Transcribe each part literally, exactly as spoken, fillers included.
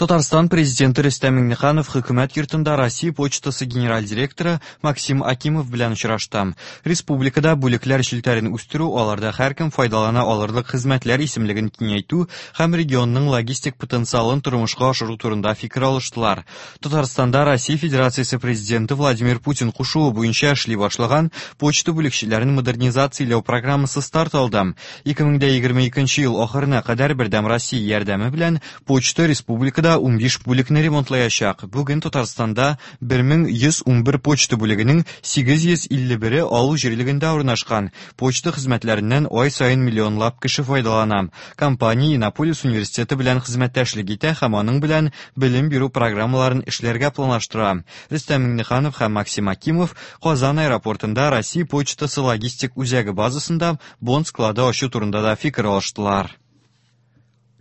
Татарстан президенты Рөстәм Миңнеханов хөкүмәт йортында Россия почтасы генераль директоры Максим Акимов белән очрашты. Республикада бүлекләр челтәрен үстерү, аларда һәркем файдалана алырлык хезмәтләр исемлеген киңәйтү һәм регионның логистик потенциалын тормышка ашыру турында фикер алыштылар. Татарстанда Россия Федерациясе президенты Владимир Путин кушуы буенча эшли башлаган почта бүлекчәләрен модернизацияләү программасы старт алды. ике мең егерме икенче ел ахырына кадәр Бердәм Россия ярдәме белән почта республикада унбиш бүлекне ремонтлаячак. Бүген Татарстанда бер мең йөз унбер почта бүлегенең сигез йөз илле бере авыл җирлегендә урнашкан. Почта хезмәтләреннән ай саен миллионлап кеше файдалана. Компания Иннополис университеты белән хезмәттәшлек итә һәм аның белән белем бирү программаларын эшләргә планлаштыра. Рөстәм Миңнеханов һәм Максим Акимов Казан аэропортында Россия почтасы логистик үзәге базасында бонд склады ачу турында да фикер алыштылар.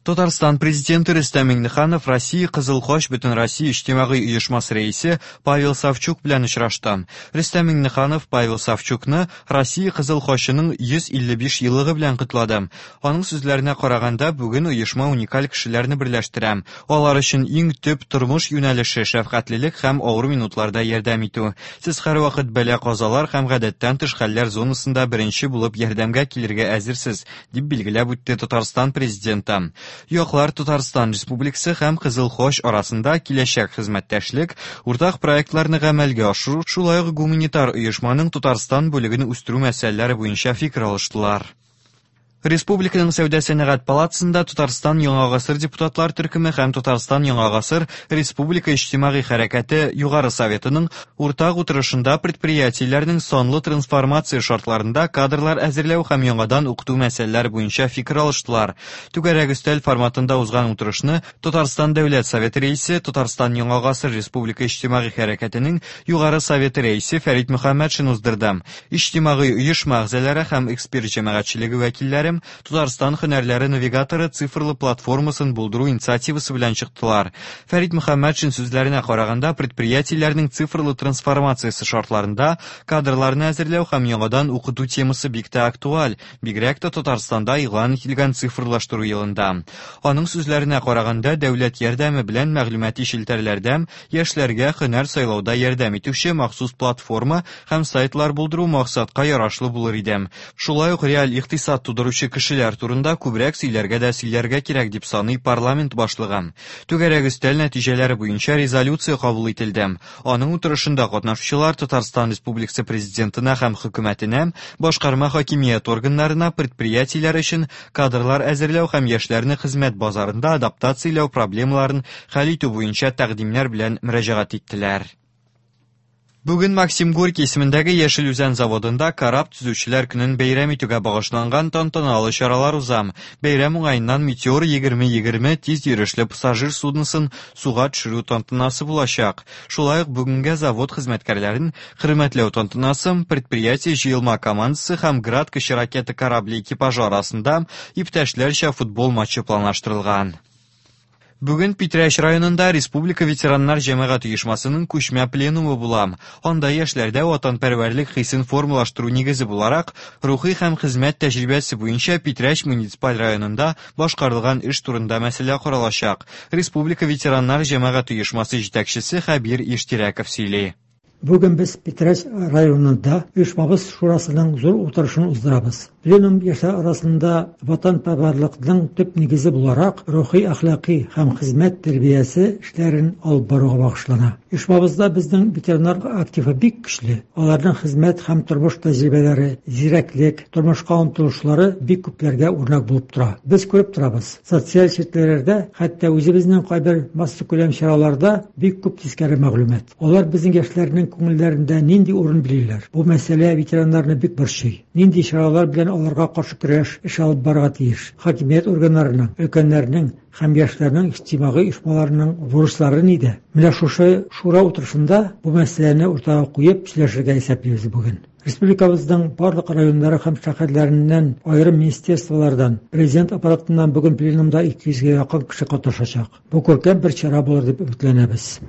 Татарстан президенты Рөстәм Миңнеханов Россия Кызыл Хач Бөтенроссия иҗтимагый оешмасы рәисе Павел Савчук белән очрашты. Рөстәм Миңнеханов Павел Савчукны Россия Кызыл Хачының йөз илле биш еллыгы белән котлады. Аның сүзләренә караганда, бүген оешма уникаль кешеләрне берләштерә. Алар өчен иң төп тормыш юнәлеше шәфкатьлелек һәм авыр минутларда ярдәм итү. Сез һәрвакыт бәла-казалар һәм гадәттән тыш хәлләр зонасында беренче булып ярдәмгә килергә әзерсез, дип билгеләп үтте Татарстан президенты. Яклар Татарстан Республикасы һәм Кызыл Хач арасында киләчәк хезмәттәшлек, уртак проектларны гамәлгә ашыру, шулай ук гуманитар оешманың Татарстан бүлеген үстерү мәсьәләләре буенча фикер алыштылар. Республиканың Сәүдә сәнәгать палатасында Татарстан Яңа Гасыр депутатлар төркеме һәм Татарстан Яңа Гасыр Республика иҗтимагый хәрәкәте Югары Советының уртак утырышында предприятиеләрнең санлы трансформация шартларында кадрлар әзерләү һәм яңадан укыту мәсьәләләре буенча фикер алыштылар. Түгәрәк өстәл форматында узган утырышны Татарстан Дәүләт Советы рәисе, Татарстан Яңа Гасыр Республика иҗтимагый хәрәкәтенең Югары Советы рәисе Фәрит Мөхәммәтшин уздырды. Иҗтимагый оешма әгъзалары һәм эксперт җәмәгатьчелеге вәкилләре Татарстан һөнәрләре навигаторы цифрлы платформасын булдыру инициативасы белән чыктылар. Фәрит Мөхәммәтшин сүзләренә караганда, предприятиеләрнең цифрлы трансформациясе шартларында кадрларны әзерләү һәм яңадан укыту темасы бик тә актуаль, бигрәк тә Татарстанда игълан ителгән цифрлаштыру елында. Аның сүзләренә караганда, дәүләт ярдәме белән мәгълүмати челтәрләрдә яшьләргә һөнәр сайлауда ярдәм итүче махсус платформа һәм сайтлар булдыру максатка ярашлы булыр иде. Шулай ук реаль икътисад тудыручы кешеләр турында күбрәк сөйләргә дә сөйләргә кирәк дип саный парламент башлыгы. Түгәрәк өстәл нәтиҗәләре буенча резолюция кабул ителде. Аның утырышында катнашучылар Татарстан Республикасы президентына һәм хөкүмәтенә, башкарма хакимият органнарына предприятиеләр өчен кадрлар әзерләү һәм яшьләрне хезмәт базарында адаптацияләү проблемаларын хәл итү буенча тәкъдимнәр белән мөрәҗәгать иттеләр. Бүген Максим Горький исемендәге Яшел Үзән заводында кораб төзүчеләр көнен бәйрәм итүгә багышланган тантаналы чаралар уза. Бәйрәм уңаеннан Метеор егерме егерме тиз йөрешле пассажир судносын суга төшерү тантанасы булачак. Шулай ук бүгенгә завод хезмәткәрләрен хөрмәтләү тантанасы, предприятие җыелма командасы һәм Град кече ракета корабле экипажы арасында иптәшләрчә футбол матчы планлаштырылган. Бүген Питрәч районында Республика ветераннар җәмәгать оешмасының күчмә пленумы була. Анда яшьләрдә ватанпәрвәрлек хисен формалаштыру нигезе буларак, рухи һәм хезмәт тәҗрибәсе буенча Питрәч муниципаль районында башкарылган эш турында мәсьәлә каралачак. Республика ветераннар җәмәгать оешмасы җитәкчесе Хәбир Иштирәков сөйли. Бүген без Питрәч районында оешмабыз шурасының зур утырышын уздырабыз. Пленум яшьләр арасында ватанпәрвәрлекнең төп нигезе буларак рухи, әхлаки һәм хезмәт тәрбиясе эшләрен алып баруга багышлана. Оешмабызда безнең ветераннар активы бик көчле. Аларның хезмәт һәм тормыш тәҗрибәләре, зирәклек, тормышка омтылышлары бик күпләргә үрнәк булып тора. Без күреп торабыз. Социаль челтәрләрдә, хәтта үзебезнең кайбер массакүләм чараларда бик күп тискәре мәгълүмат. Алар безнең яшьләрнең күңелләрендә нинди урын билиләр? Бу мәсьәлә ветераннарны бик борчый. Нинди чаралар белән аларга каршы көрәш эш алып барырга тиеш? Хакимият органнарының, өлкәннәрнең һәм яшьләрнең иҗтимагый оешмаларының бурычлары нидә? Менә шушы шура утырышында бу мәсьәләне уртага куеп сөйләшергә исәплибез бүген. Республикабызның барлык районнары һәм шәһәрләреннән, аерым министерстволардан, президент аппаратыннан бүген пленумда ике йөзгә якын кеше катнашачак. Бу күркәм бер чара булыр дип өметләнәбез.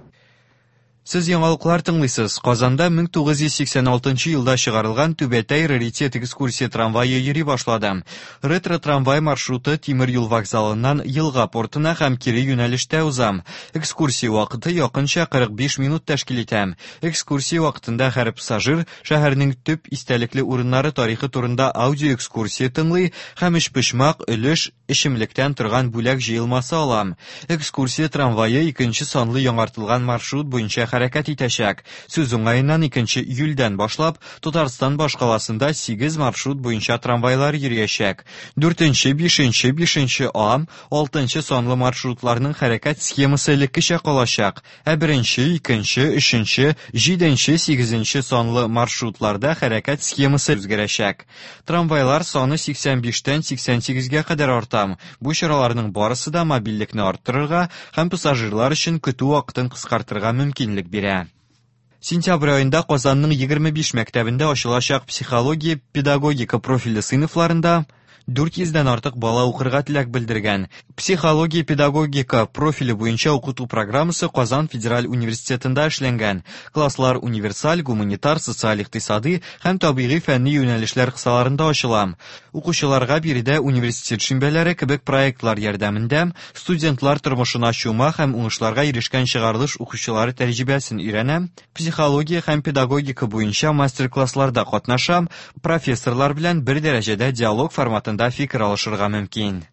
Сез яңалыклар тыңлыйсыз. Казанда мең тугыз йөз сиксән алтынчы елда чыгарылган Түбәтәй раритет экскурсия трамвае йөри башлады. Ретро-трамвай маршруты тимер юл вокзалыннан елга портына һәм кире юнәлештә уза. Экскурсия вакыты якынча кырык биш минут тәшкил итә. Экскурсия вакытында һәр пассажир шәһәрнең төп истәлекле урыннары тарихы турында аудиоэкскурсия тыңлый һәм өчпочмак өлеш эчемлектән торган бүләк җыелмасы ала. Экскурсия трамвае икенче санлы яңартылган маршрут буенча хәрәкәт итәчәк. Сүз уңаеннан икенче июльдән башлап Татарстан башкаласында сигез маршрут буенча трамвайлар йөриячәк. Дүртенче, бишенче, бишенче А, алтынчы санлы маршрутларның хәрәкәт схемасы элеккечә калачак. Ә беренче, икенче, өченче, җиденче, сигезенче санлы маршрутларда хәрәкәт схемасы үзгәрәчәк. Трамвайлар саны сиксән биштән сиксән сигезгә кадәр арта. Бу чараларның барысы да мобильлекне арттырырга һәм пассажирлар өчен көтү вакытын кыскартырга мөмкинлек бирә. Сентябрь аенда Казанның егерме биш мәктәбендә ачылачак психология, педагогика профильле сыйныфларында дүрт йөздән артык бала укырга теләк белдергән. Психология, педагогика профиле буенча укыту программасы Казан федераль университетында эшләнгән. Класслар универсаль, гуманитар, социаль-икътисади һәм табигый фәнни юнәлешләр кысаларында ачыла. Укучыларга биредә университет шимбәләре кебек проектлар ярдәмендә студентлар тормышына чума һәм уңышларга ирешкән чыгарылыш укучылары тәҗрибәсен өйрәнә, психология һәм педагогика буенча мастер-классларда катнаша, профессорлар белән бер дәрәҗәдә диалог форматында фикер алышырга мөмкин.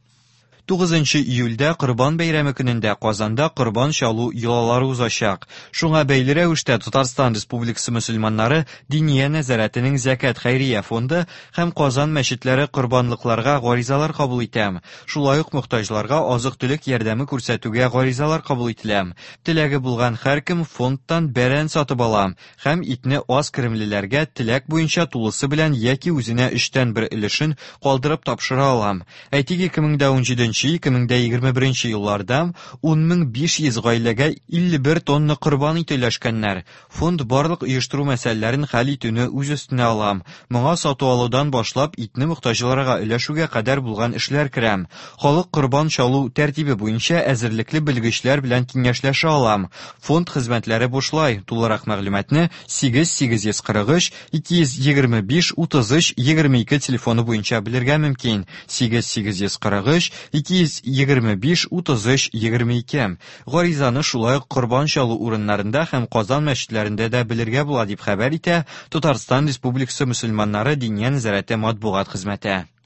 Тугызынчы июльдә Корбан бәйрәме көнендә Казанда корбан чалу йолалары узачак. Шуңа бәйле рәвештә Татарстан Республикасы мөселманнары Диния нәзарәтенең Зәкят хәйрия фонды һәм Казан мәчетләре корбанлыкларга гаризалар кабул итә. Шулай ук мохтаҗларга азык-төлек ярдәме күрсәтүгә гаризалар кабул ителә. Теләге булган һәркем фондтан бәрән сатып ала һәм итне аз керемлеләргә теләк буенча тулысы белән яки үзенә өчтән бер өлешен калдырып тапшыра ала. Әйтик, ике мең дә унҗиденче, ике мең дә егерме беренче елларда ун мең биш йөз гаиләгә илле бер тонна корбан ите өләшкәннәр. Фонд барлык оештыру мәсьәләләрен хәл итүне үз өстенә ала. Моңа сату алудан башлап итне мохтаҗларга өләшүгә кадәр булган эшләр керә. Халык корбан чалу тәртибе буенча әзерлекле белгечләр белән киңәшләшә ала. Фонд хезмәтләре бушлай. Тулырак мәгълүматны сигез сигез йөз кырык өч, ике йөз егерме биш, утыз өч, егерме ике телефоны буенча белергә мөмкин. Сигез сигез йөз кырык өч, ике йөз егерме биш, утыз өч, егерме ике. Гаризаны шулай ук корбан чалу урыннарында һәм Казан мәчетләрендә дә белергә була, дип хәбәр итә Татарстан Республикасы мөселманнары Диния нәзарәте матбугат хезмәте.